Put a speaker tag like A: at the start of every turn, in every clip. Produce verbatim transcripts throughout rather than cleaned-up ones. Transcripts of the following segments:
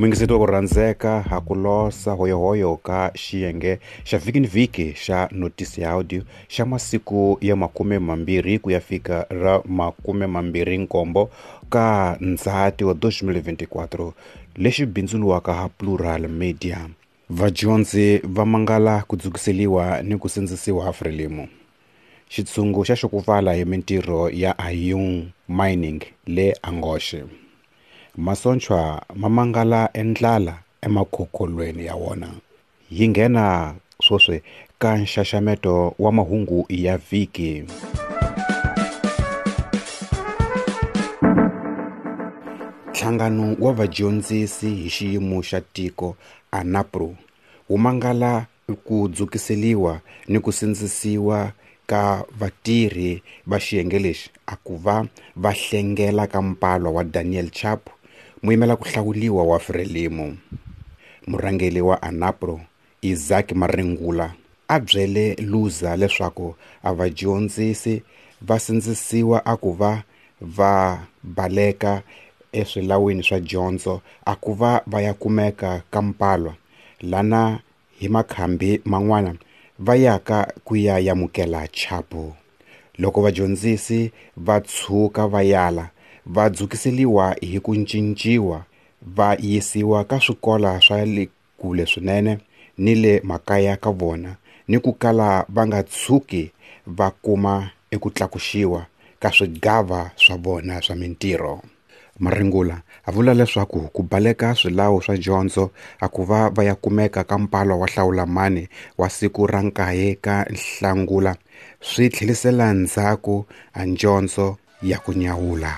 A: Muyingiseti wa ku rhandzeka ha ku losa hoyohoyo ka xiyenge xa vhiki ni vhiki xa Notisi ya Audio xa masiku ya makume mambirhi ku ya fika ra makume mambirhi nkombo ka Ndzhati wa twenty twenty-four lexi bindzuriwaka ha Plural Media. Vadyondzi va mangala ku dzukiseliwa ni ku sindzisiwa ha Frelimo. Xitshungu xa xukuvala hi mintirho ya Ayung Mining le Angoche. Masochwa ma mangala endlala emakhokholweni ya wona. Yi nghena swoswi ka nxaxameto wa mahungu ya vhiki. Nhlangano wa vadyondzisi hi xiyimo xa tiko ANAPRO wu mangala ku dzukiseliwa ni ku sindzisiwa ka vatirhi va xiyenge lexi a ku va va hlengela ka mpalwa wa Daniel Chapo, muyimela ku hlawuliwa wa Frelimo. Murhangeri wa ANAPRO Isaac Maringula a byele Luza leswaku a vadyondzisi va sindzisiwa a ku va va baleka eswilawini swa dyondzo a ku va va ya kumeka ka mpalwa lana hi makhambi man'wana va yaka ku ya yamukela Chapo. Loko vadyondzisi va tshuka va yala va dzukiseliwa hi ku cinciwa va yisiwa ka swikola swa le kule swinene ni le makaya ka vona ni ku kala va nga tshuki va kuma eku tlakuxiwa ka swigava swa vona swa mintirho. Maringula a vula leswaku ku baleka swilawu swa dyondzo a ku va va ya kumeka ka mpalwa wa hlawulamani wa siku ra nkaye ka Nhlangula swi tlhelisela ndzhaku a dyondzo ya ku nyawula.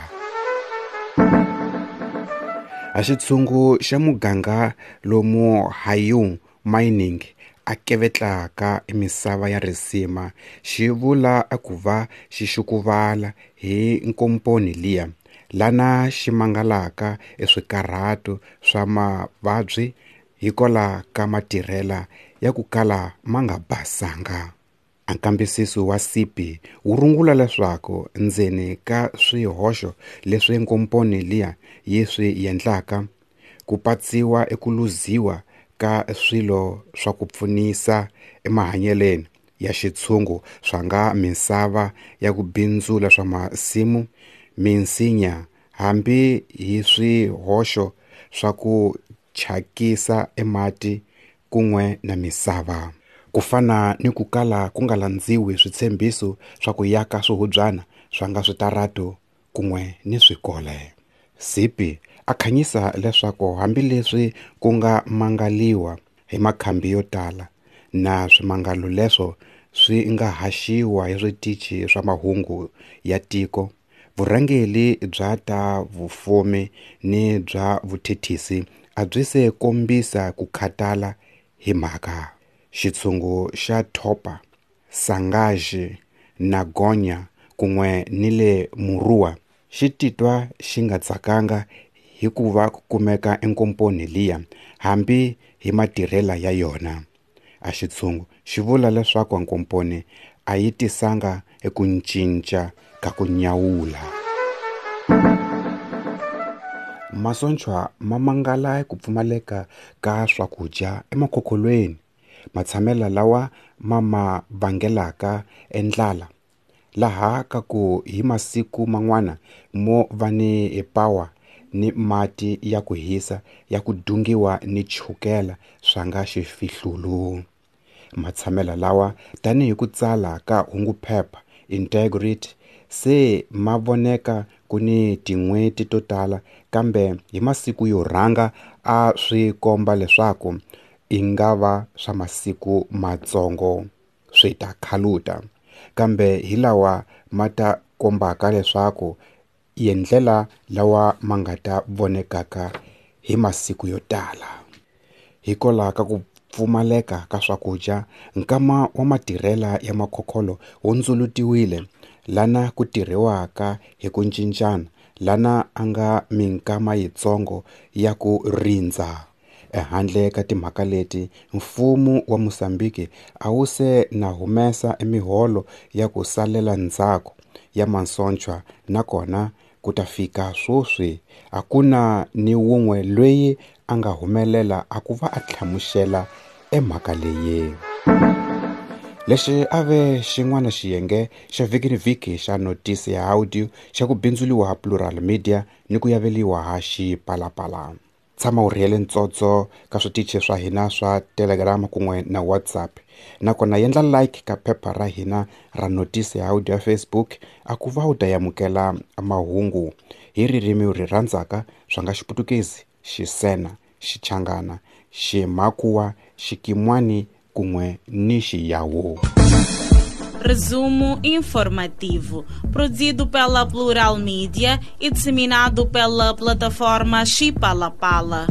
A: A xitshungu xa muganga lomu Hayung Mining a kevetlaka misava ya risima xi vula a ku va xi xukuvala hi nkomponi liya lana xi mangalaka eswikarhato swa mavabyi hikola ka matirhela ya ku kala ma nga basanga. A nkambisiso wa C P wu rungula leswaku ndzeni ka swihoxo leswi nkomponi liya yi swi endlaka ku patsiwa eku luziwa ka swilo swa ku pfunisa emahanyeleni ya xitshungu swa nga misava ya ku bindzula swa masimu, minsinya hambi hi swihoxo swa ku chakisa emati kun'we na misava. Ku fana ni ku kala ku nga landziwi switshembiso swa ku yaka swihubyana swa nga switarato kun'we ni swikole. C P a khanyisa leswaku hambileswi ku nga mangaliwa hi makhambi yo tala na swimangalo leswo swi nga haxiwa hi switichi swa mahungu ya tiko, vurhangeri bya ta vufumi ni bya vuthethisi a byi se kombisa ku khatala hi mhaka. Xitshungu xa Thopa, Sangaji na Gonya kun'we ni le Murua xi titwa xi nga tsakanga hikuva ku kumeka enkomponi liya hambi hi matirhela ya yona. A xitshungu xi vula leswaku nkomponi a yi tisanga eku cinca ka ku nyawula. Masochwa ma mangala ku pfumaleka ka swakudya emakhokholweni, matshamela lawa ma ma vangelaka endlala laha ka ku hi masiku man'wana mo va ni power ni mati ya ku hisa ya ku dungiwa ni chukela swa nga xifihlulu. Matshamela lawa tanihi ku tsala ka hunguphepha Integrity se ma voneka ku ni tin'hweti to tala, kambe hi masiku yo rhanga a swi komba leswaku i nga va swa masiku matsongo swi ta khaluta, kambe hi lawa ma ta kombaka leswaku yendlela lawa ma nga ta vonekaka hi masiku yo tala. Hikola ka ku pfumaleka ka swakudya, nkama wa matirhela ya makhokholo wu ndzulutiwile lana ku tirhiwaka hi ku cincana lana a nga minkama yitsongo ya ku rindza. Ehandle ka timhaka leti, mfumo wa Mozambique a wu se na humesa miholo ya ku salela ndzhaku ya masochwa, nakona ku ta fika sweswi a ku na ni wun'we loyi a nga humelela a ku va a hlamusela emhaka leyi. Lexi a ve xin'wana xiyenge xa vhiki ni vhiki xa notisi ya audio xa ku bindzuliwa ha Plural Media ni ku yaveliwa ha Xipalapala. Tshama u rhiyele ntsotso ka switichi swa hina swa Telegram kun'we na WhatsApp, nakona yendla like ka phepha ra hina ra notisi ya audio ya Facebook a ku va u ta yamukela mahungu hi ririmi u ri rhandzaka swa nga Xiputukezi, Xisena, Xichangana, Ximakhuwa, Xikimwani kun'we ni Xiyawu.
B: Resumo informativo, produzido pela Plural Media e disseminado pela plataforma Xipalapala.